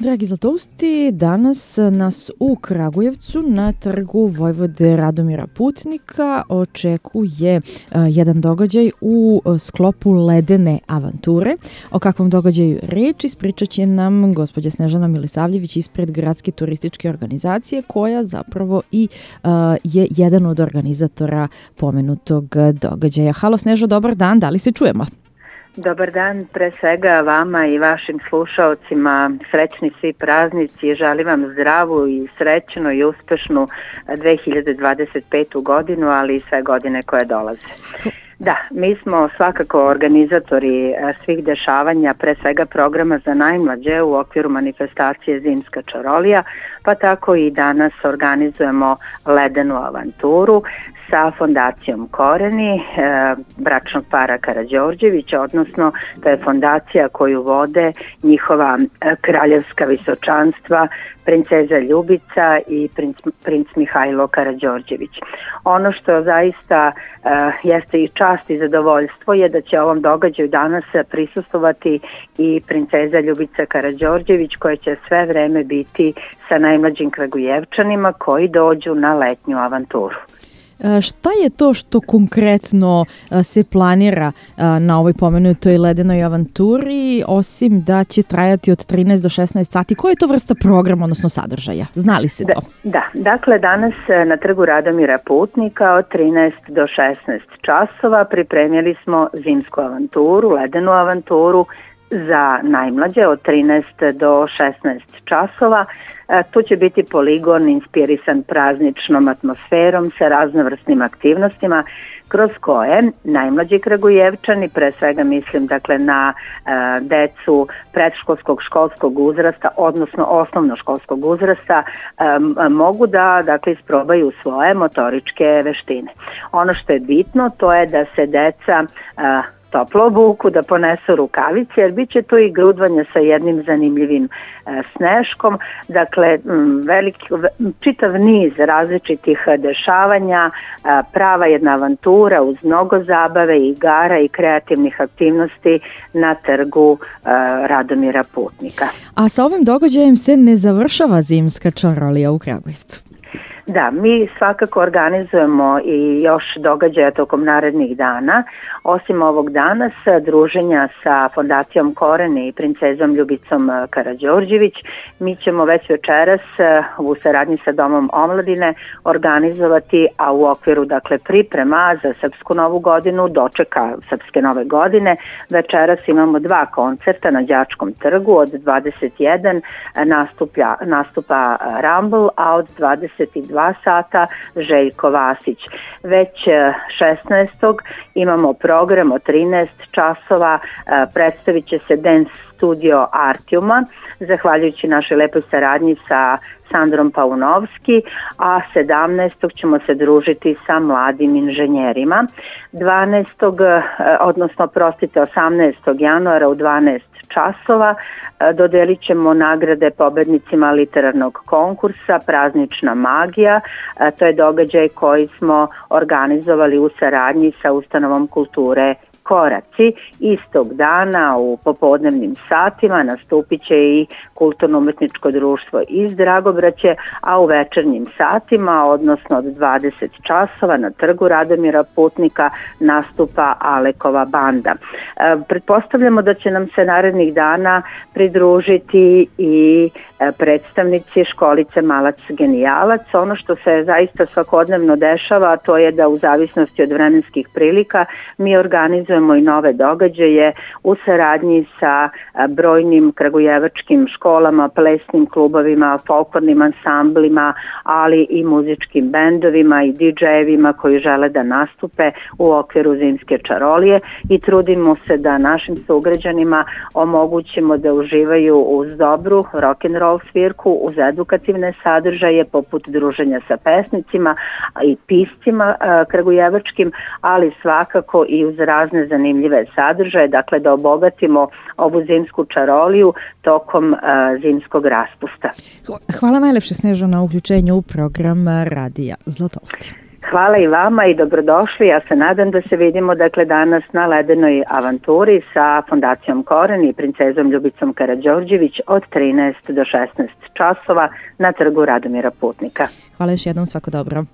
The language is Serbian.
Dragi Zlatousti, danas nas u Kragujevcu na trgu Vojvode Radomira Putnika očekuje jedan događaj u sklopu ledene avanture. O kakvom događaju reč ispričat će nam gospođa Snežana Milisavljević ispred Gradske turističke organizacije, koja zapravo i je jedan od organizatora pomenutog događaja. Halo Snežo, dobar dan, da li se čujemo? Dobar dan, pre svega vama i vašim slušaocima, srećni svi praznici i želim vam zdravu i srećnu i uspešnu 2025. godinu, ali i sve godine koje dolaze. Da, mi smo svakako organizatori svih dešavanja, pre svega programa za najmlađe u okviru manifestacije Zimska čarolija, pa tako i danas organizujemo ledenu avanturu sa fondacijom Koreni, bračnog para Karađorđevića, odnosno to je fondacija koju vode njihova kraljevska visočanstva, princeza Ljubica i princ Mihajlo Karađorđević. Ono što zaista jeste i čast i zadovoljstvo je da će ovom događaju danas prisustvovati i princeza Ljubica Karađorđević, koja će sve vreme biti sa najmlađim Kragujevčanima koji dođu na letnju avanturu. Šta je to što konkretno se planira na ovoj pomenutoj ledenoj avanturi, osim da će trajati od 13 do 16 sati? Koja je to vrsta programa, odnosno sadržaja? Zna li se to? Da, dakle danas na trgu Radomira Putnika od 13 do 16 časova pripremili smo zimsku avanturu, ledenu avanturu za najmlađe od 13 do 16 časova. Tu će biti poligon inspirisan prazničnom atmosferom sa raznovrsnim aktivnostima kroz koje najmlađi Kragujevčani, pre svega mislim dakle na decu predškolskog školskog uzrasta, odnosno osnovnoškolskog uzrasta, mogu da dakle isprobaju svoje motoričke veštine. Ono što je bitno to je da se deca toplo obuku, da ponesu rukavice, jer bit će tu i grudvanje sa jednim zanimljivim sneškom, dakle čitav niz različitih dešavanja, prava jedna avantura uz mnogo zabave, igara i kreativnih aktivnosti na trgu Radomira Putnika. A sa ovim događajem se ne završava Zimska čarolija u Kragujevcu? Da, mi svakako organizujemo i još događaja tokom narednih dana. Osim ovog danas, druženja sa fondacijom Korene i princezom Ljubicom Karađorđević, mi ćemo već večeras u saradnji sa Domom omladine organizovati, a u okviru dakle priprema za Srpsku novu godinu, dočeka Srpske nove godine, večeras imamo 2 koncerta na Đačkom trgu. Od 21 nastupa Rumble, a od 22 sata Željko Vasić. Već 16. imamo program od 13 časova, predstavit će se Dance Studio Artiuma, zahvaljujući našoj lepoj saradnji sa Sandrom Paunovski, a 17. ćemo se družiti sa mladim inženjerima. 18. januara u 12 časova dodelit ćemo nagrade pobednicima literarnog konkursa Praznična magija. To je događaj koji smo organizovali u saradnji sa Ustanovom kulture Koraci. Istog dana u popodnevnim satima nastupit će i kulturno-umetničko društvo iz Dragobraće, a u večernjim satima, odnosno od 20 časova na trgu Radomira Putnika nastupa Alekova banda. Pretpostavljamo da će nam se narednih dana pridružiti i predstavnici školice Malac Genijalac. Ono što se zaista svakodnevno dešava, to je da u zavisnosti od vremenskih prilika mi organizujemo i nove događaje u saradnji sa brojnim kragujevačkim školama, plesnim klubovima, folklornim ansamblima, ali i muzičkim bendovima i DJ-evima koji žele da nastupe u okviru Zimske čarolije i trudimo se da našim sugrađanima omogućimo da uživaju uz dobru rock'n'roll svirku, uz edukativne sadržaje poput druženja sa pesnicima i piscima kragujevačkim, ali svakako i uz razne zanimljive sadržaje, dakle da obogatimo ovu zimsku čaroliju tokom zimskog raspusta. Hvala najlepše, Snežo, na uključenju u program Radija Zlatousti. Hvala i vama i dobrodošli. Ja se nadam da se vidimo danas na ledenoj avanturi sa Fondacijom Koren i princezom Ljubicom Karađorđević od 13 do 16 časova na trgu Radomira Putnika. Hvala još jednom, svako dobro.